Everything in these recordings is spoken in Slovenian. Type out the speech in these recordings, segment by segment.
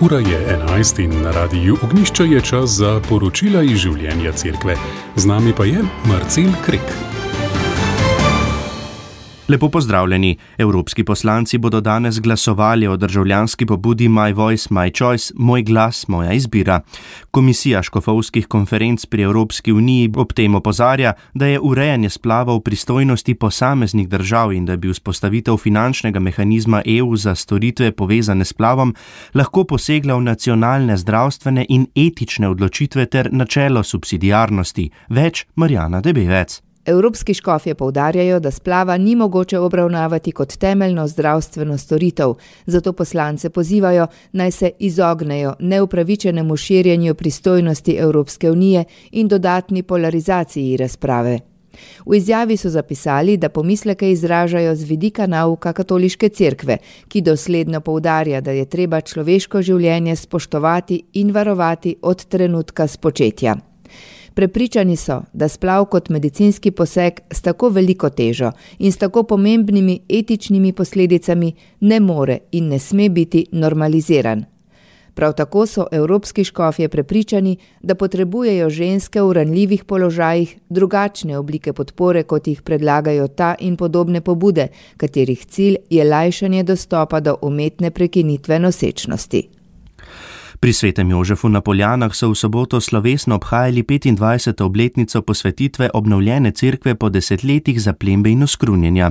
Ura je 11 in na radiju Ognjišče je čas za poročila iz življenja cerkve. Z nami pa je Marcel Krek. Lepo pozdravljeni. Evropski poslanci bodo danes glasovali o državljanski pobudi My Voice, My Choice, Moj glas, moja izbira. Komisija škofovskih konferenc pri Evropski uniji ob tem opozarja, da je urejanje splavov v pristojnosti posameznih držav in da bi vzpostavitev finančnega mehanizma EU za storitve povezane s splavom lahko posegla v nacionalne zdravstvene in etične odločitve ter načelo subsidiarnosti. Več Marjana Debevec. Evropski škofje poudarjajo, da splava ni mogoče obravnavati kot temeljno zdravstveno storitev, zato poslance pozivajo, naj se izognejo neupravičenemu širjenju pristojnosti Evropske unije in dodatni polarizaciji razprave. V izjavi so zapisali, da pomisleke izražajo z vidika nauka katoliške cerkve, ki dosledno poudarja, da je treba človeško življenje spoštovati in varovati od trenutka spočetja. Prepričani so, da splav kot medicinski poseg s tako veliko težo in s tako pomembnimi etičnimi posledicami ne more in ne sme biti normaliziran. Prav tako so evropski škofje prepričani, da potrebujejo ženske v ranljivih položajih drugačne oblike podpore, kot jih predlagajo ta in podobne pobude, katerih cilj je lajšanje dostopa do umetne prekinitve nosečnosti. Pri Svetem Jožefu na Poljanah so v soboto slovesno obhajali 25. obletnico posvetitve obnovljene cerkve po desetletjih zaplembe in oskrunjenja.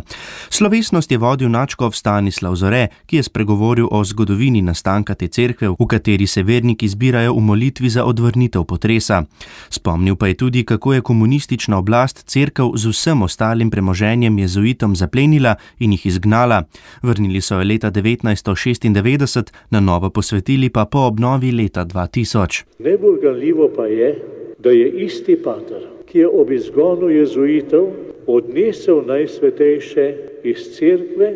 Slovesnost je vodil nadškof Stanislav Zore, ki je spregovoril o zgodovini nastanka te cerkve, v kateri se verniki zbirajo v molitvi za odvrnitev potresa. Spomnil pa je tudi, kako je komunistična oblast cerkev z vsem ostalim premoženjem jezuitom zaplenila in jih izgnala. Vrnili so jo leta 1996, na novo posvetili pa po obnovi leta 2000. Najbolj ganljivo pa je, da je isti pater, ki je ob izgonu jezuitov odnesel najsvetejše iz cerkve,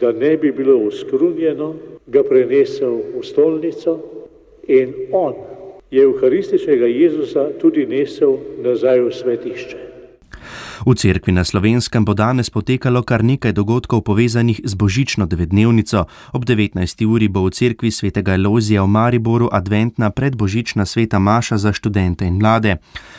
da ne bi bilo oskrunjeno, ga prenesel v stolnico in on je evharističnega Jezusa tudi nesel nazaj v svetišče. V cerkvi na Slovenskem bo danes potekalo kar nekaj dogodkov povezanih z božično devetdnevnico. Ob 19. uri bo v cerkvi svetega Elojzija v Mariboru adventna predbožična sveta maša za študente in mlade.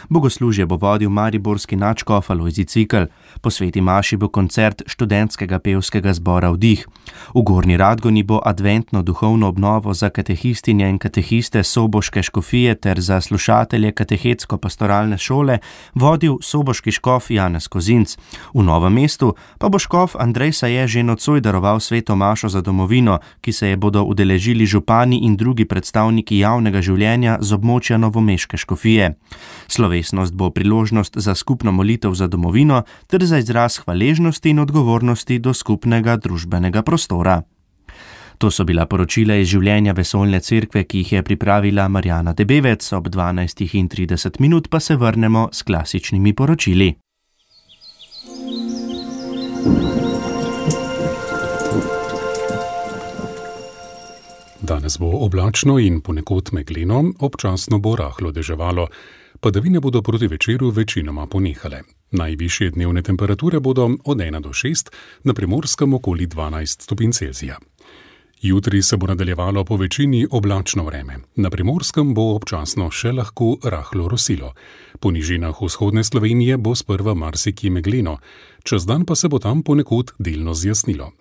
Bogoslužje bo vodil mariborski nadškof Alojzij Cvikl. Po sveti maši bo koncert študentskega pevskega zbora Vdih. V Gornji Radgoni bo adventno duhovno obnovo za katehistinje in katehiste soboške škofije ter za slušatelje katehetsko-pastoralne šole vodil soboški škof Janez Kozinc. V Novem mestu pa bo škof Andrej Saje že nocoj daroval sveto mašo za domovino, ki se je bodo udeležili župani in drugi predstavniki javnega življenja z območja novomeške škofije. Slovesnost bo priložnost za skupno molitev za domovino ter za izraz hvaležnosti in odgovornosti do skupnega družbenega prostora. To so bila poročila iz življenja vesoljne cerkve, ki jih je pripravila Marjana Debevec. Ob 12:30 pa se vrnemo s klasičnimi poročili. Danes bo oblačno in ponekod megleno, občasno bo rahlo deževalo. Padavine bodo proti večeru večinoma ponehale. Najvišje dnevne temperature bodo od 1 do 6, na Primorskem okoli 12 stopinj Celzija. Jutri se bo nadaljevalo po večini oblačno vreme. Na Primorskem bo občasno še lahko rahlo rosilo. Po nižinah vzhodne Slovenije bo sprva marsikje megleno, čez dan pa se bo tam ponekod delno zjasnilo.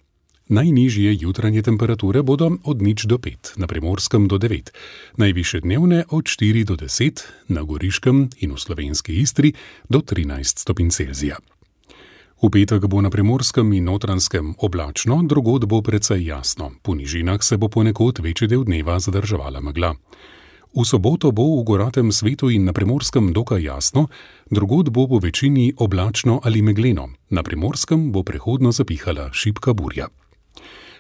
Najnižje jutranje temperature bodo od 0 do 5, na Primorskem do 9, najvišje dnevne od 4 do 10, na Goriškem in v slovenski Istri do 13 stopinj Celzija. V petek bo na Primorskem in Notranjskem oblačno, drugod bo precej jasno. Po nižinah se bo ponekod večji del dneva zadrževala megla. V soboto bo v goratem svetu in na Primorskem dokaj jasno, drugod bo po večini oblačno ali megleno. Na Primorskem bo prehodno zapihala šibka burja.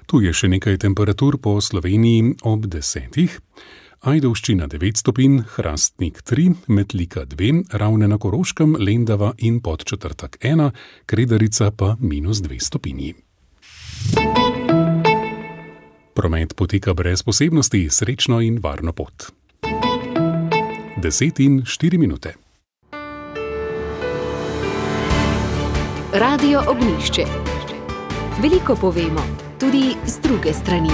Tu je še nekaj temperatur po Sloveniji ob 10. Ajdovščina 9 stopinj, Hrastnik 3, Metlika 2, Ravne na Koroškem, Lendava in Podčetrtek 1, Kredarica pa -2 stopinji. Promet poteka brez posebnosti, srečno in varno pot. 10:04. Radio Ognjišče. Veliko povemo, tudi z druge strani.